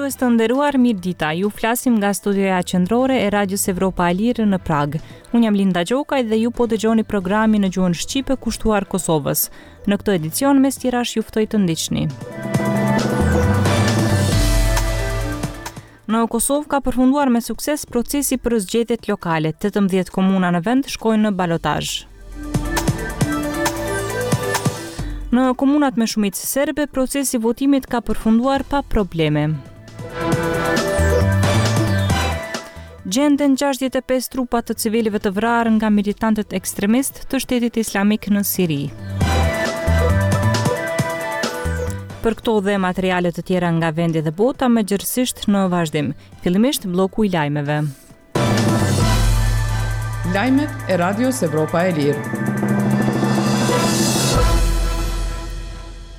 Dëgjues të nderuar, mirëdita. Ju flasim nga studioja qendrore e Radios Evropa e Lirë në Pragë. Unë jam Linda Gjokaj dhe ju po dëgjoni programin në gjuhën shqipe kushtuar Kosovës. Në këtë edicion mes tjerash ju ftoj të ndiqni. Në Kosovë ka përfunduar me sukses procesi për zgjedhjet lokale. 18 komuna në vend shkojnë në balotazh. Në komunat me shumicë serbe, procesi i votimit ka përfunduar pa probleme. Gjenden 65 trupa të civilëve të vrarë nga militantët ekstremistë të shtetit islamik në Siri. Për këto dhe materiale të tjera nga vendi dhe bota më gjerësisht në vazhdim. Fillimisht blloku i lajmeve. Lajmet e Radios Evropa e Lirë.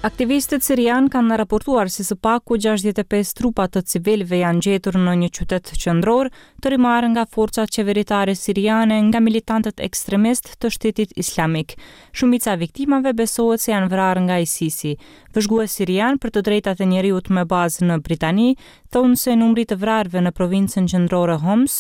Aktivistët sirianë kanë raportuar se së paku 65 trupa të civilëve janë gjetur në një qytet qendror të rimarrë nga forcat qeveritare siriane nga militantët ekstremistë të Shtetit Islamik. Shumica e viktimave besohet se janë vrarë nga ISIS-i. Vëzhgues sirianë për të drejtat e njeriut me bazë në Britani thonë se numri i të vrarëve në provincën qendrore Homs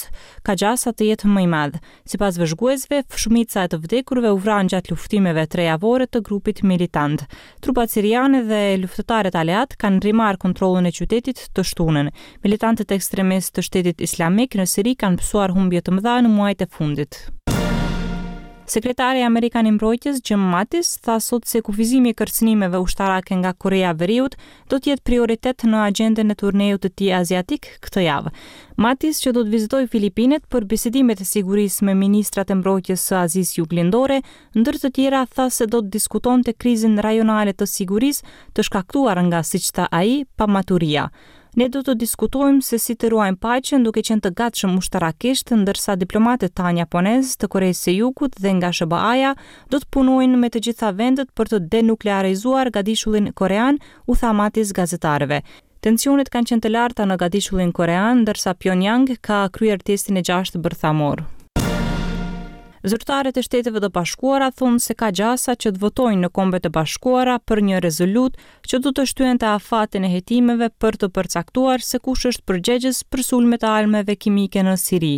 ka gjasa të jetë më i madh. Sipas vëzhguesve, shumica e të vdekurve u vranë gjatë luftimeve trejavore të grupit militant. Trupat siriane dhe luftëtarët aleatë kanë rimarrë kontrollin e qytetit të shtunën. Militantët ekstremistë të Shtetit Islamik në Siri kanë pësuar humbje të mëdha në muajt e fundit. Sekretari amerikan i Mbrojtjes, Jim Mattis, tha sot se kufizimi i kërcënimeve ushtarake nga Koreja e Veriut do të jetë prioritet në agjendën e turneut të tij aziatik këtë javë. Mattis, që do të vizitojë Filipinet për bisedimet e sigurisë me ministrat e mbrojtjes së Azisë Juglindore, ndër të tjera tha se do të diskutonte krizën rajonale të sigurisë të shkaktuar nga, siç tha ai, pamaturia. Ne do të diskutojmë se si të ruajmë paqen duke qenë të gatshëm ushtarakisht, ndërsa diplomatët tanë japonezë, të Koresë së Jugut dhe nga SHBA-ja do të punojnë me të gjitha vendet për të denuklearizuar gadishullin korean, u tha Mattis gazetarëve. Tensionet kanë qenë të larta në gadishullin korean, ndërsa Pyongyang ka kryer testin e gjashtë bërthamor. Zyrtarët e Shteteve të Bashkuara thonë se ka gjasa që të votojnë në Kombet e Bashkuara për një rezolutë që do të shtyente afatin e hetimeve për të përcaktuar se kush është përgjegjës për sulmet e armëve kimike në Siri.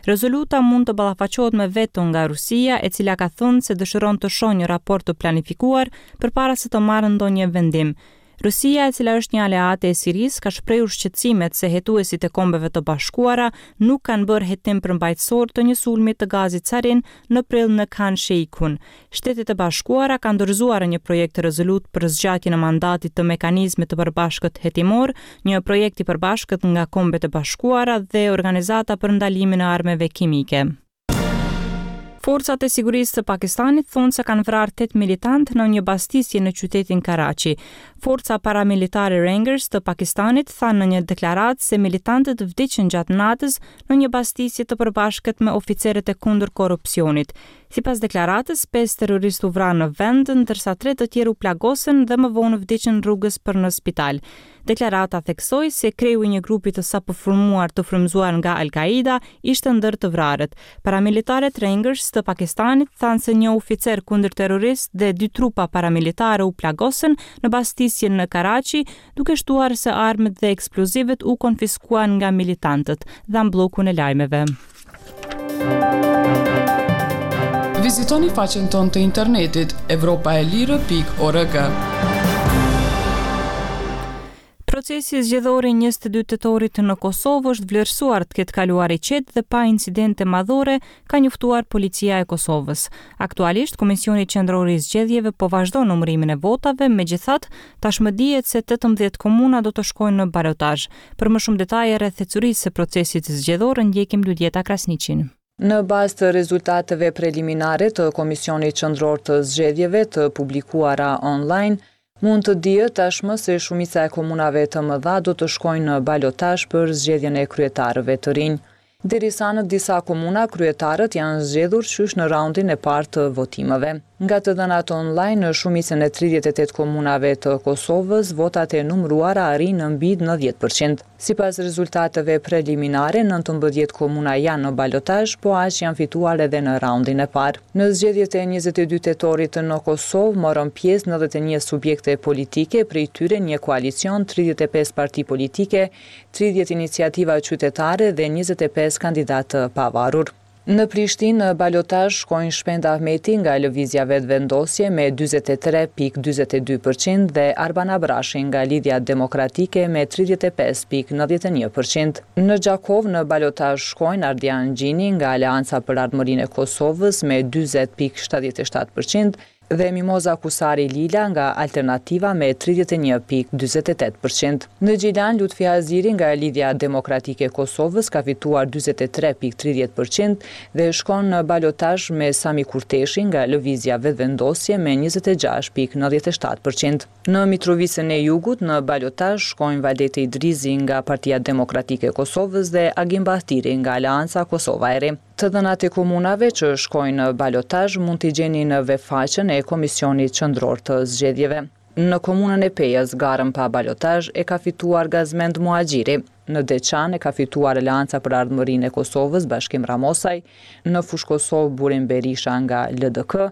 Rezoluta mund të ballafaqohet me veto nga Rusia, e cila ka thënë se dëshiron të shohë një raport të planifikuar përpara se të marrë ndonjë vendim. Rusia, e cila është një aleate e Sirisë, ka shprehur shqetësimet se hetuesit e Kombeve të Bashkuara nuk kanë bërë hetim përmbajtësor të një sulmi të gazit sarin në prill në Khan Sheikhoun. Shtetet e Bashkuara kanë dorëzuar një projekt-rezolutë për zgjatjen e mandatit të mekanizmit të përbashkët hetimor, një projekt i përbashkët nga Kombet e Bashkuara dhe Organizata për Ndalimin e Armëve Kimike. Forcat e sigurisë së Pakistanit thonë se kanë vrarë tetë militantë në një bastisje në qytetin Karachi. Forca paramilitare Rangers të Pakistanit thanë në një deklaratë se militantët vdiqën gjatë natës në një bastisje të përbashkët me oficerët e kundër-korrupsionit. Sipas deklaratës, pesë terroristë u vranë në vend, ndërsa tre të tjerë u plagosën dhe më vonë vdiqën rrugës për në spital. Deklarata theksoi se kreu i një grupi të sapoformuar të frymëzuar nga Al-Kaida ishte ndër të vrarët. Paramilitarët Rangers të Pakistanit thanë se një oficer kundërterrorist dhe dy trupa paramilitare u plagosën në bastisjen në Karachi, duke shtuar se armët dhe eksplozivët u konfiskuan nga militantët, dhamë bllokun e lajmeve. Vizitoni faqen tonë të internetit evropaelire.org. Procesi zgjedhor i 22 tetorit në Kosovë është vlerësuar të ketë kaluar i qetë dhe pa incidente madhore, ka njoftuar Policia e Kosovës. Aktualisht, Komisioni Qendror i Zgjedhjeve po vazhdon numërimin e votave, megjithatë, tashmë dihet se 18 komuna do të shkojnë në balotazh. Për më shumë detaje rreth ecurisë së procesit zgjedhor ndjekim Luljeta Krasniqin. Në bazë të rezultateve preliminare të Komisionit Qendror të Zgjedhjeve të publikuara online, mund të dihet tashmë se shumica e komunave të mëdha do të shkojnë në balotazh për zgjedhjen e kryetarëve të rinj. Derisa në disa komuna kryetarët janë zgjedhur qysh në raundin e parë të votimeve. Nga të dhënat online në shumicën e 38 komunave të Kosovës, votat e numëruara arrijnë në mbi 90 për qind. Sipas rezultateve preliminare, 19 komuna janë në balotazh, po aq janë fituar edhe në raundin e parë. Në zgjedhjet e 22 tetorit në Kosovë morën pjesë 91 subjekte politike, prej tyre një koalicion, 35 parti politike, 30 iniciativa qytetare dhe 25 kandidatë të pavarur. Në Prishtinë në balotazh shkojnë Shpend Ahmeti nga Lëvizja Vetëvendosje me 43.42 për qind dhe Arban Abrashi nga Lidhja Demokratike me 35.91 për qind. Në Gjakovë në balotazh shkojnë Ardian Gjini nga Aleanca për Ardhmërinë e Kosovës me 40.77 për qind dhe Mimoza Kusari Lila nga Alternativa me 31.48 për qind. Në Gjilan, Lutfi Haziri nga Lidhja Demokratike e Kosovës ka fituar 43.30 për qind dhe shkon në balotazh me Sami Kurteshi nga Lëvizja Vetëvendosje me 26.97 për qind. Në Mitrovicën e Jugut, në balotazh shkojnë Valdete Idrizi nga Partia Demokratike e Kosovës dhe Agim Bahtiri nga Aleanca Kosova e Re. Të dhënat e komunave që shkojnë në balotazh mund t'i gjeni në webfaqen e Komisionit Qendror të Zgjedhjeve. Në komunën e Pejës, garën pa balotazh e ka fituar Gazmend Muhaxhiri. Në Deçan e ka fituar Aleanca për Ardhmërinë e Kosovës, Bashkim Ramosaj, në Fushë-Kosovë Burim Berisha nga LDK.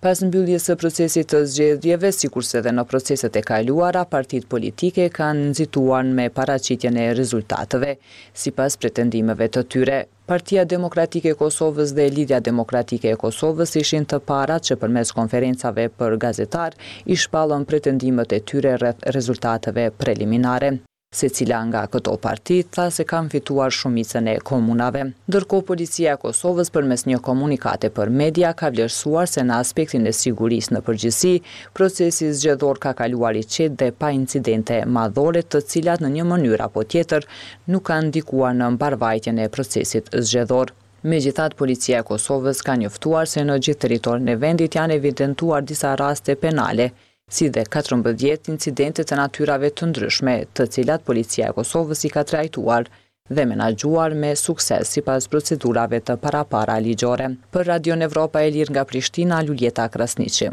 Pas mbylljes së procesit të zgjedhjeve, sikurse edhe në proceset e kaluara, partitë politike kanë nxituar me paraqitjen e rezultateve, sipas pretendimeve të tyre. Partia Demokratike e Kosovës dhe Lidhja Demokratike e Kosovës ishin të parat që përmes konferencave për gazetarë i shpallën pretendimet e tyre rreth rezultateve preliminare. Secila nga këto parti tha se kanë fituar shumicën e komunave. Ndërkohë Policia e Kosovës përmes një komunikate për media ka vlerësuar se në aspektin e sigurisë në përgjithësi, procesi zgjedhor ka kaluar i qetë dhe pa incidente madhore të cilat në një mënyrë apo tjetër nuk kanë ndikuar në mbarëvajtjen e procesit zgjedhor. Megjithatë, Policia e Kosovës ka njoftuar se në gjithë territorin e vendit janë evidentuar disa raste penale, si dhe 14 incidente të natyrave të ndryshme, të cilat Policia e Kosovës i ka trajtuar dhe menaxhuar me sukses sipas procedurave të parapara ligjore. Për Radion Evropa e Lirë nga Prishtina, Luljeta Krasniqi.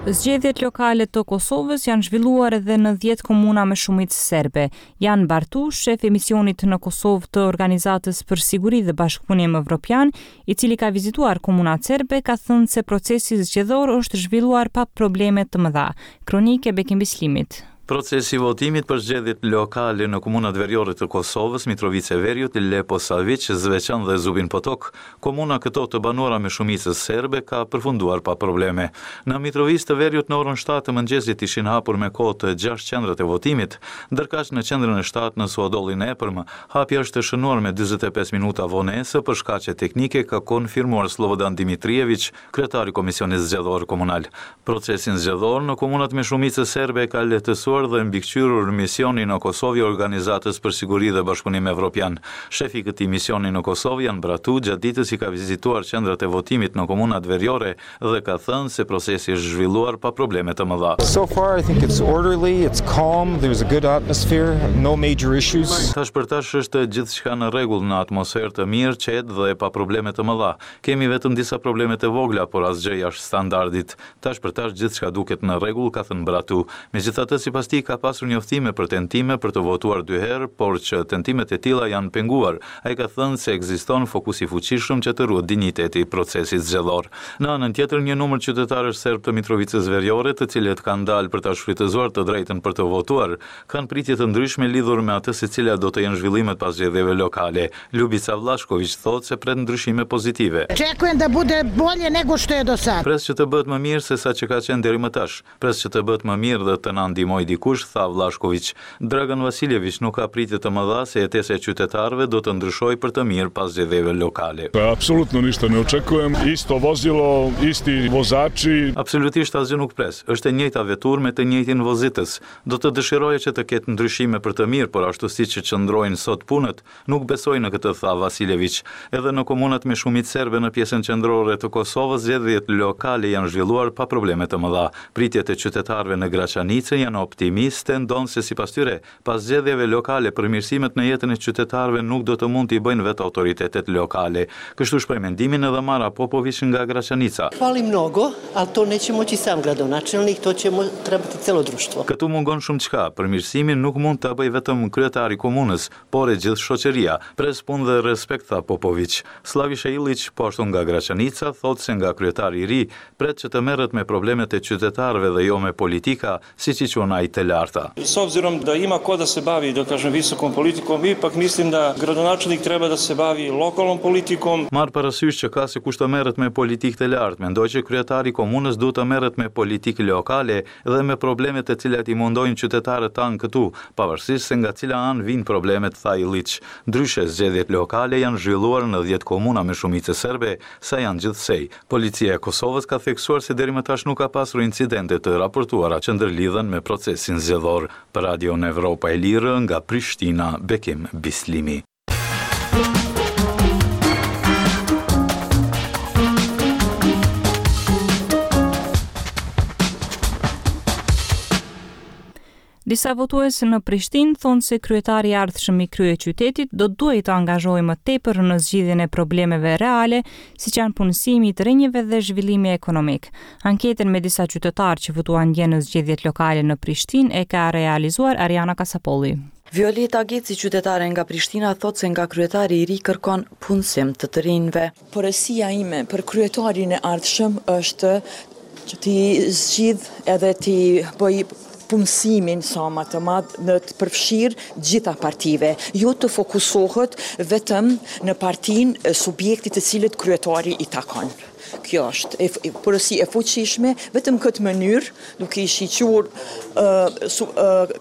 Zgjedhjet lokale të Kosovës janë zhvilluar edhe në 10 komuna me shumicë serbe. Jan Bartu, shef i misionit në Kosovë të Organizatës për Siguri dhe Bashkëpunim Evropian, i cili ka vizituar komunat serbe, ka thënë se procesi zgjedhor është zhvilluar pa probleme të mëdha. Kronikë e Bekim Bislimit. Procesi i votimit për zgjedhjet lokale në komunat veriore të Kosovës, Mitrovicë e Veriut, Leposaviq, Zveçan dhe Zubin Potok, komuna këto të banuara me shumicë serbe, ka përfunduar pa probleme. Në Mitrovicë të Veriut në orën 7 të mëngjesit ishin hapur me kohë të gjashtë qendrat e votimit, ndërkaq në qendrën e shtatë në Suhodollin e Epërm, hapja është shënuar me 45 minuta vonesë për shkaqe teknike, ka konfirmuar Slobodan Dimitrijeviq, kryetar i Komisionit Zgjedhor Komunal. Procesin zgjedhor në komunat me shumicë serbe e ka lehtësuar dhe mbikëqyrur misioni në Kosovë i Organizatës për Siguri dhe Bashkëpunim Evropian. Shefi i këtij misioni në Kosovë, Jan Bratu, gjatë ditës i ka vizituar qendrat e votimit në komunat veriore dhe ka thënë se procesi është zhvilluar pa probleme të mëdha. So far I think it's orderly, it's calm, there's a good atmosphere, no major issues. Tash për tash është gjithçka në rregull, në atmosferë të mirë, qetë dhe pa probleme të mëdha. Kemi vetëm disa probleme të vogla, por asgjë jashtë standardit. Tash për tash gjithçka duket në rregull, ka thënë Bratu. Megjithatë, sipas tij, ka pasur njoftime për tentime për të votuar dy herë, por që tentimet e tilla janë penguar. Ai ka thënë se ekziston fokus i fuqishëm që të ruhet dinjiteti i procesit zgjedhor. Në anën tjetër, një numër qytetarësh serbë të Mitrovicës Veriore, të cilët kanë dalë për ta shfrytëzuar të drejtën për të votuar, kanë pritje të ndryshme lidhur me atë se cilat do të jenë zhvillimet pas zgjedhjeve lokale. Ljubica Vllashkoviq thotë se pret ndryshime pozitive. Očekujem da bude bolje nego što je do sad. Pres që të bëhet më mirë se sa që ka qenë deri më tash. Pres që të bëhet më mirë dhe të na ndihmojë dikush, tha Vllashkoviq. Dragan Vasiljeviq nuk ka pritje të mëdha se jetesa e qytetarëve do të ndryshojë për të mirë pas zgjedhjeve lokale. Apsolutno ništa ne očekujem. Isto vozilo, isti vozači. Absolutisht asgjë nuk pres. Është e njëjta veturë me të njëjtin vozitës. Do të dëshiroja që të ketë ndryshime për të mirë, por ashtu siç qëndrojnë sot punët, nuk besoj në këtë, tha Vasiljeviq. Edhe në komunat me shumicë serbe në pjesën qendrore të Kosovës, zgjedhjet lokale janë zhvilluar pa probleme të mëdha. Pritjet e qytetarëve në Graçanicë janë optimiste. optimiste, ndonëse sipas tyre, pas zgjedhjeve lokale përmirësimet në jetën e qytetarëve nuk do të mund t'i bëjnë vetë autoritetet lokale. Kështu shpreh mendimin edhe Mara Popoviq nga Graçanica. Fali mnogo, al to neće moći sam gradonačelnik, to će trebati celo društvo. Këtu mungon shumëçka, përmirësimin nuk mund ta bëjë vetëm kryetari i komunës, por e gjithë shoqëria. Pres punë dhe respekt, tha Popoviq. Sllavisha Illiq, po ashtu nga Graçanica, thotë se nga kryetari i ri, pret që të merret me problemet e qytetarëve dhe jo me politika, siç i quan ai të larta. S obzirom da ima ko da se bavi, da kažem, visokom politikom, ipak mislim da gradonačelnik treba da se bavi lokalnom politikom. Marrë parasysh që ka se kush të merret me politikë të lartë, mendoj që kryetari i komunës duhet të merret me politikë lokale dhe me problemet të cilat i mundojnë qytetarët tanë këtu, pavarësisht se nga cila anë vijnë problemet, tha Illiq. Ndryshe, zgjedhjet lokale janë zhvilluar në dhjetë komuna me shumicë serbe, sa janë gjithsej. Policia e Kosovës ka theksuar se deri më tash nuk ka pasur incidente të raportuara që ndërlidhen me procesin zgjedhor. Për Radion Evropa e Lirë, nga Prishtina, Bekim Bislimi. Disa votues në Prishtinë thonë se kryetari i ardhshëm i kryeqytetit do të duhej të angazhohej më tepër në zgjidhjen e problemeve reale, siç janë punësimi i të rinjve dhe zhvillimi ekonomik. Anketën me disa qytetarë që votuan dje në zgjedhjet lokale në Prishtinë e ka realizuar Ariana Kasapolli. Violeta Geci, qytetare nga Prishtina, thotë se nga kryetari i ri kërkon punësim të të rinjve. Porosia ime për kryetarin e ardhshëm është që t'i zgjidh edhe t'i bëj punësimin sa ma të madh në të përfshirë gjitha partive, jo të fokusohet vetëm në partinë subjektit të cilit kryetari i takon. Kjo është porosi e fuqishme, vetëm këtë mënyrë, duke i shiqur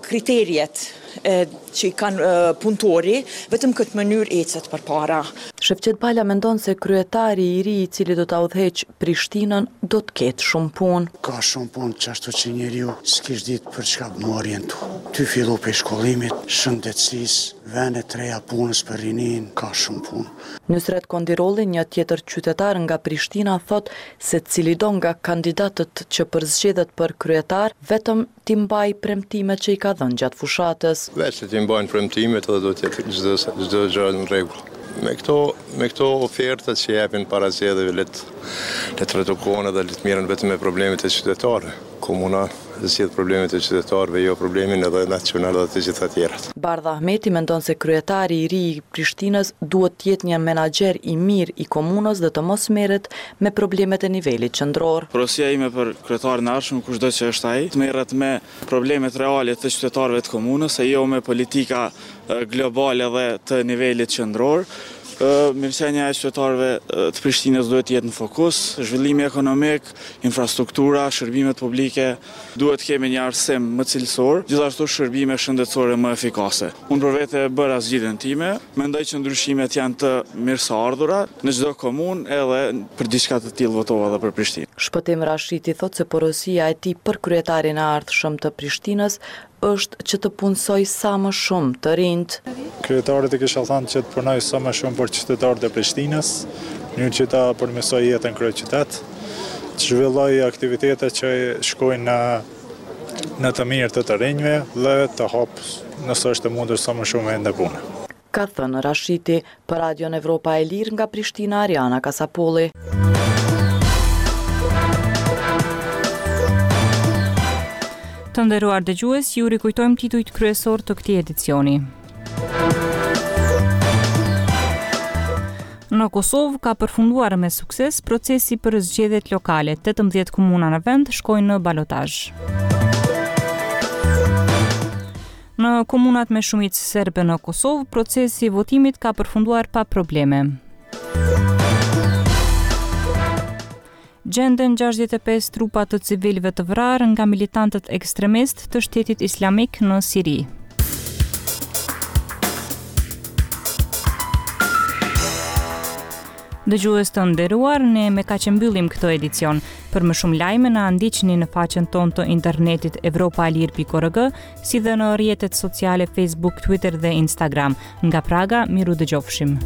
kriteriet që i kanë punëtori, vetëm këtë mënyrë ecet përpara. Shefqet Bala mendon se kryetari i ri i cili do ta udhëheqë Prishtinën do të ketë shumë punë. Ka shumë punë qashtu që njeriu s'kish ditë për çka m'u orientu. Tu fillu prej shkollimit, shëndetësisë, vende të reja punës për rininë, ka shumë punë. Nysret Kondirolli, një tjetër qytetar nga Prishtina thotë se cilido nga kandidatët që përzgjedhet për kryetar, vetëm t'i mbajë premtimet që i ka dhënë gjatë fushatës. Veç le t'i mbajnë premtimet edhe do të jetë çdo çdo gjë në rregull. Me këto me këto ofertat që japin para zgjedhjeve le të le të redukohen edhe le të merren vetëm me problemet e qytetarëve. Komuna zgjidh problemet e qytetarëve, jo problemin edhe nacional dhe të gjitha tjerat. Bardh Ahmeti mendon se kryetari i ri i Prishtinës duhet të jetë një menaxher i mirë i komunës dhe të mos merret me problemet e nivelit qendror. Porosia ime për kryetarin e ardhshëm, kushdo që është ai, të merret me problemet reale të qytetarëve të komunës e jo me politika globale dhe të nivelit qendror. Mirëqenia e qytetarëve të Prishtinës duhet të jetë në fokus, zhvillimi ekonomik, infrastruktura, shërbimet publike, duhet të kemi një arsim më cilësor, gjithashtu shërbime shëndetësore më efikase. Unë për vete e bëra zgjidhjen time, mendoj që ndryshimet janë të mirëseardhura në çdo komunë edhe për diçka të tillë votova edhe për Prishtinë. Shpëtim Rashiti thotë se porosia e tij për kryetarin e ardhshëm të Prishtinës është që të punësojë sa më shumë të rinjtë. Kryetarit i kisha thënë që të punojë sa më shumë për qytetarët e Prishtinës, në mënyrë që ta përmirësojë jetën në kryeqytet, të zhvillojë aktivitete që shkojnë në në të mirë të të rinjve dhe të hapë nëse është e mundur sa më shumë vende pune. Ka thënë Rashiti, për Radion Evropa e Lirë nga Prishtina Ariana Kasapolli. Të nderuar dëgjues, ju rikujtojmë titujt kryesorë të këtij edicioni. Në Kosovë ka përfunduar me sukses procesi për zgjedhjet lokale. 18 komuna në vend shkojnë në balotazh. Në komunat me shumicë serbe në Kosovë, procesi i votimit ka përfunduar pa probleme. Gjenden 65 trupa të civilëve të vrarë nga militantët ekstremistë të Shtetit Islamik në Siri. Dëgjues të nderuar, ne me kaq e mbyllim këtë edicion. Për më shumë lajme na ndiqni në faqen tonë të internetit evropaelire.org, si dhe në rrjetet sociale Facebook, Twitter dhe Instagram. Nga Praga, mirudëgjofshim.